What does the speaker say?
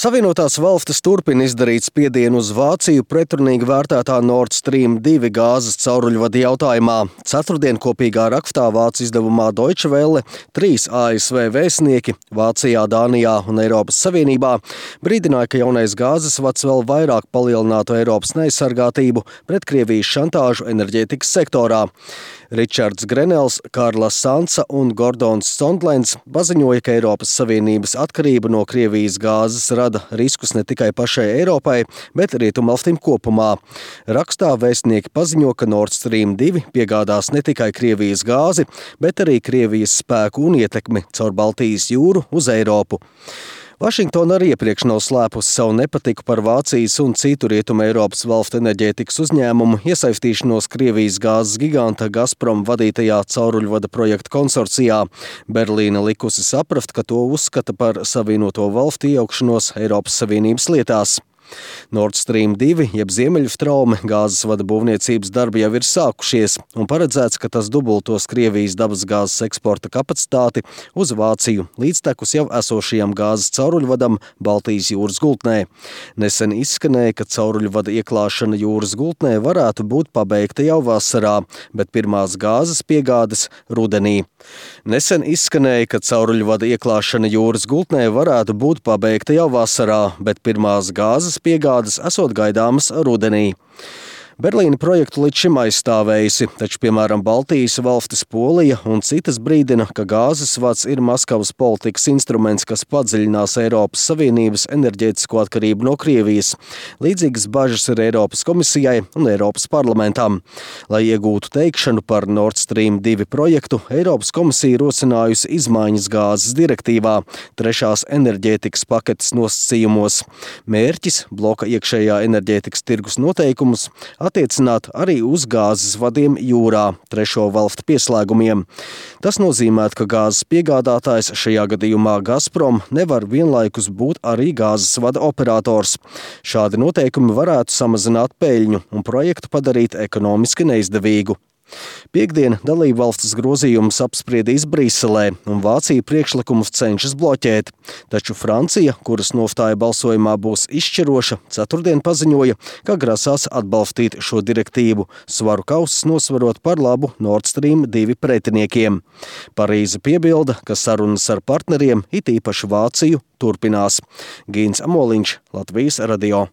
Savienotās valstis turpina izdarīt spiedienu uz Vāciju pretrunīgi vērtētā Nord Stream 2 gāzes cauruļvada jautājumā. Ceturtdien kopīgā rakstā vācu izdevumā Deutsche Welle 3 ASV vēstnieki Vācijā, Dānijā un Eiropas Savienībā brīdināja, ka jaunais gāzes vads vēl vairāk palielinātu Eiropas neaizsargātību pret Krievijas šantāžu enerģētikas sektorā. Ričards Grenels, Karla Sansa un Gordons Sondlens paziņoja, ka Eiropas Savienības atkarība no Krievijas gāzes rada riskus ne tikai pašai Eiropai, bet Rietumvalstīm kopumā. Rakstā vēstnieki paziņo, ka Nord Stream 2 piegādās ne tikai Krievijas gāzi, bet arī Krievijas spēku un ietekmi caur Baltijas jūru uz Eiropu. Vašingtona arī iepriekš nav slēpusi savu nepatiku par Vācijas un citu Rietumu Eiropas valstu enerģētikas uzņēmumu iesaistīšanos Krievijas gāzes giganta Gazprom vadītajā cauruļvada projekta konsorcijā. Berlīne likusi saprast, ka to uzskata par Savienoto valstu iejaukšanos Eiropas Savienības lietās. Nord Stream 2, jeb Ziemeļstraume, gāzes vada būvniecības darbi jau ir sākušies un paredzēts, ka tas dubultos Krievijas dabasgāzes eksporta kapacitāti uz Vāciju līdztekus jau esošajam gāzes cauruļvadam Baltijas jūras gultnē. Nesen izskanēja, ka cauruļvada ieklāšana jūras gultnē varētu būt pabeigta jau vasarā, bet pirmās gāzes piegādes rudenī. Nesen izskanēja, ka cauruļvada ieklāšana jūras gultnē varētu būt pabeigta jau vasarā, bet pirmās gāzes piegādes esot gaidāmas rudenī. Berlīne projektu līdz šim aizstāvējusi, taču, piemēram, Baltijas valstis Polija un citas brīdina, ka gāzes vads ir Maskavas politikas instruments, kas padziļinās Eiropas Savienības enerģētisko atkarību no Krievijas. Līdzīgas bažas ir Eiropas komisijai un Eiropas parlamentam. Lai iegūtu teikšanu par Nord Stream 2 projektu, Eiropas komisija rosinājusi izmaiņas gāzes direktīvā, 3. enerģētikas paketes nosacījumos. Mērķis – bloka iekšējā enerģētikas tirgus noteikumus attiecināt arī uz gāzes vadiem jūrā, 3. valstu pieslēgumiem. Tas nozīmē, ka gāzes piegādātājs, šajā gadījumā Gazprom, nevar vienlaikus būt arī gāzes vada operators. Šādi noteikumi varētu samazināt peļņu un projektu padarīt ekonomiski neizdevīgu. Piektdien dalībvalstis grozījumus apspriedīs Briselē, un Vācija priekšlikumus cenšas bloķēt. Taču Francija, kuras nostāja balsojumā būs izšķiroša, ceturtdien paziņoja, ka grasās atbalstīt šo direktīvu, svaru kausus nosvarot par labu Nord Stream 2 pretiniekiem. Parīze piebilda, ka sarunas ar partneriem, it īpaši Vāciju, turpinās. Gīns Amoliņš, Latvijas radio.